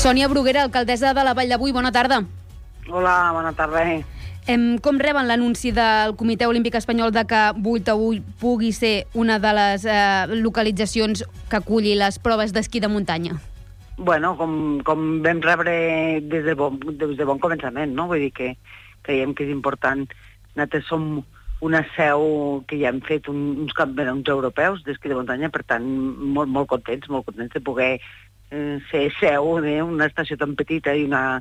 Sònia Bruguera, alcaldessa de la Vall de Boí, bona tarda. Hola, bona tarda. Com reben l'anunci del Comitè Olímpic Espanyol de que Boí pugui ser una de les localitzacions que aculli les proves d'esquí de muntanya? Bueno, com vam rebre des de bon començament, no? Vull dir que creiem que és important. Nosaltres som una seu que ja hem fet uns campionats europeus d'esquí de muntanya, per tant, molt contents de poder ser seu d'una estació tan petita i una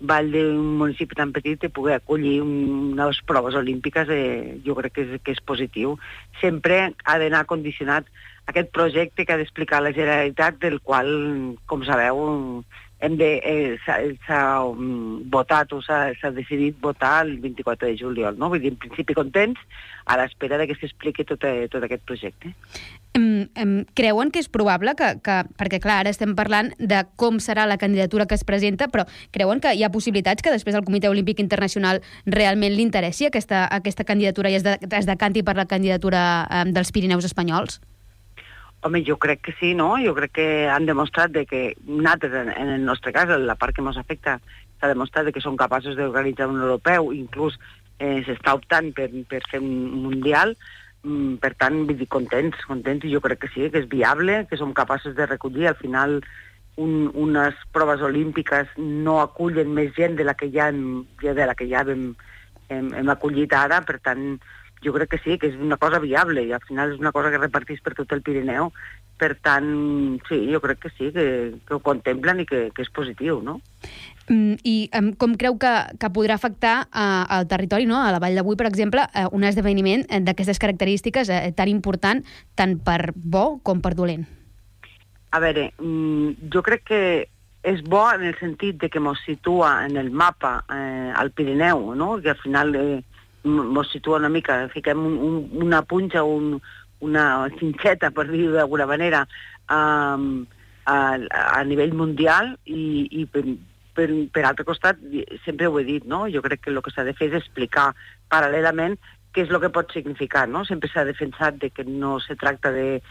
vall d'un municipi tan petit i poder acollir unes proves olímpiques, jo crec que és positiu. Sempre ha d'anar condicionat aquest projecte que ha d'explicar la Generalitat, del qual, com sabeu, s'ha votat o s'ha decidit votar el 24 de juliol, no? Vull dir, en principi contents, a l'espera que s'expliqui tot aquest projecte. Creuen que és probable perquè clar, ara estem parlant de com serà la candidatura que es presenta, però creuen que hi ha possibilitats que després el Comitè Olímpic Internacional realment li interessi aquesta candidatura i es decanti per la candidatura dels Pirineus espanyols? Home, jo crec que sí, no? Jo crec que han demostrat que nosaltres, en el nostre cas, la part que ens afecta, s'ha demostrat que són capaços d'organitzar un europeu, inclús s'està optant per fer un mundial. Per tant, vull dir, contents, i jo crec que sí, que és viable, que som capaços de recollir. Al final, unes proves olímpiques no acullen més gent de la que ja hem acollit ara, per tant, jo crec que sí, que és una cosa viable, i al final és una cosa que repartís per tot el Pirineu. Per tant, sí, jo crec que sí, que ho contemplen i que és positiu, no? I com creu que podrà afectar al territori, no? A la Vall de Boí, per exemple, un esdeveniment d'aquestes característiques tan important, tant per bo com per dolent? A veure, jo crec que és bo en el sentit de que ens situa en el mapa al Pirineu, no? Que al final ens situa una mica, fiquem una punxa, una cinxeta, per dir-ho d'alguna manera, a nivell mundial, i per altre costat, sempre ho he dit, no? Jo crec que el que s'ha de fer és explicar paral·lelament què és el que pot significar, no? Sempre s'ha defensat que no se tracta de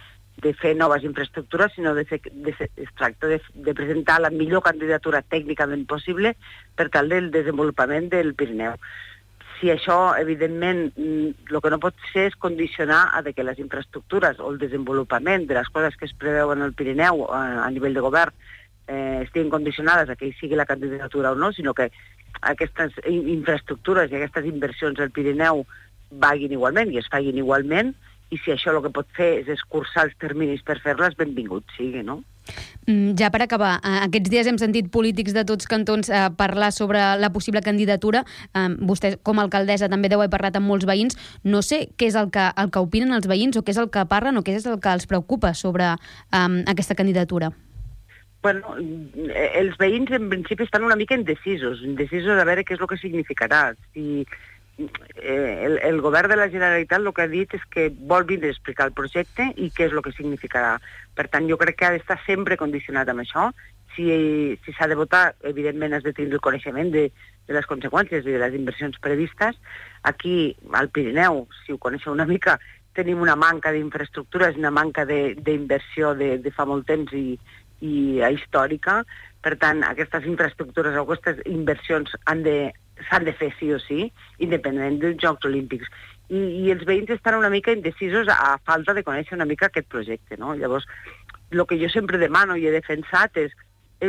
fer noves infraestructures, sinó es tracta de presentar la millor candidatura tècnicament possible per tal del desenvolupament del Pirineu. Si això, evidentment, el que no pot ser és condicionar a que les infraestructures o el desenvolupament de les coses que es preveuen al Pirineu a nivell de govern estiguin condicionades a que hi sigui la candidatura o no, sinó que aquestes infraestructures i aquestes inversions al Pirineu vaguin igualment i es facin igualment, i si això el que pot fer és escurçar els terminis per fer-les, benvingut sigui, no? Ja per acabar, aquests dies hem sentit polítics de tots cantons parlar sobre la possible candidatura. Vostè, com a alcaldessa, també deu haver parlat amb molts veïns. No sé què és el que opinen els veïns, o què és el que parlen, o què és el que els preocupa sobre aquesta candidatura. Bueno, els veïns en principi estan una mica indecisos a veure què és el que significarà. Si el govern de la Generalitat el que ha dit és que vol vindre a explicar el projecte i què és el que significarà. Per tant, jo crec que ha d'estar sempre condicionat amb això. Si s'ha de votar, evidentment has de tenir el coneixement de les conseqüències i de les inversions previstes. Aquí, al Pirineu, si ho coneixeu una mica, tenim una manca d'infraestructures, una manca d'inversió de fa molt temps i històrica. Per tant, aquestes infraestructures o aquestes inversions s'han de fer sí o sí, independentment dels Jocs Olímpics. I els veïns estan una mica indecisos a falta de conèixer una mica aquest projecte, no? Llavors, el que jo sempre demano i he defensat és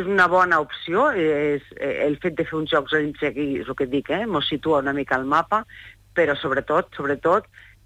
una bona opció, és el fet de fer uns Jocs Olímpics aquí, és el que dic, ens situa una mica al mapa, però sobretot,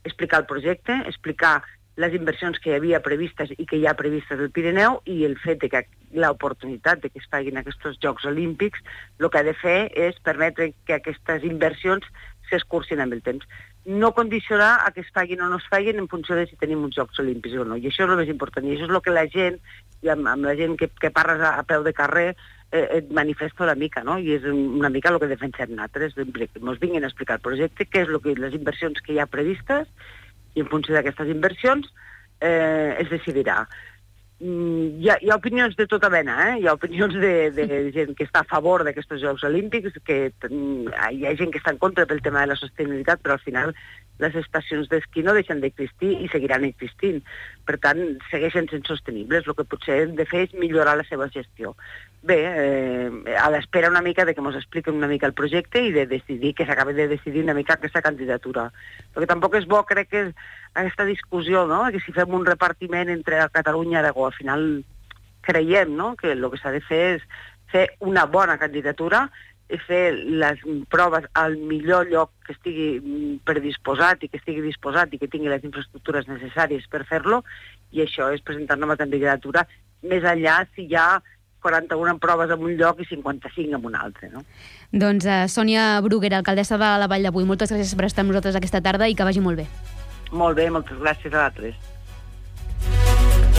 explicar el projecte, explicar les inversions que hi havia previstes i que hi ha previstes al Pirineu, i el fet de que l'oportunitat de que es facin aquests Jocs Olímpics, el que ha de fer és permetre que aquestes inversions s'escurcin amb el temps. No condicionar a que es facin o no es facin en funció de si tenim uns Jocs Olímpics o no. I això és el més important. I això és el que la gent, i amb la gent que parles a peu de carrer, et manifesta una mica, no? I és una mica el que defensem nosaltres, que ens vinguin a explicar el projecte, què és les inversions que hi ha previstes, i en funció d'aquestes inversions es decidirà. Hi ha opinions de tota mena, Hi ha opinions de gent que està a favor d'aquests Jocs Olímpics, que hi ha gent que està en contra pel tema de la sostenibilitat, però al final les estacions d'esquí no deixen d'existir i seguiran existint. per tant, segueixen sent sostenibles. El que potser hem de fer és millorar la seva gestió. Bé, a l'espera una mica de que ens expliquen una mica el projecte i de decidir, que s'acabi de decidir una mica aquesta candidatura. Perquè tampoc és bo, crec que aquesta discussió, no?, que si fem un repartiment entre Catalunya i Aragó, al final creiem, no?, que el que s'ha de fer és fer una bona candidatura i fer les proves al millor lloc que estigui predisposat i que estigui disposat i que tingui les infraestructures necessàries per fer-lo, i això és presentar-ne una candidatura més enllà si hi ha 41 proves en un lloc i 55 en un altre, no? Doncs Sònia Bruguera, alcaldessa de la Vall d'Avui, moltes gràcies per estar amb nosaltres aquesta tarda i que vagi molt bé. Molt bé, moltes gràcies a vosaltres.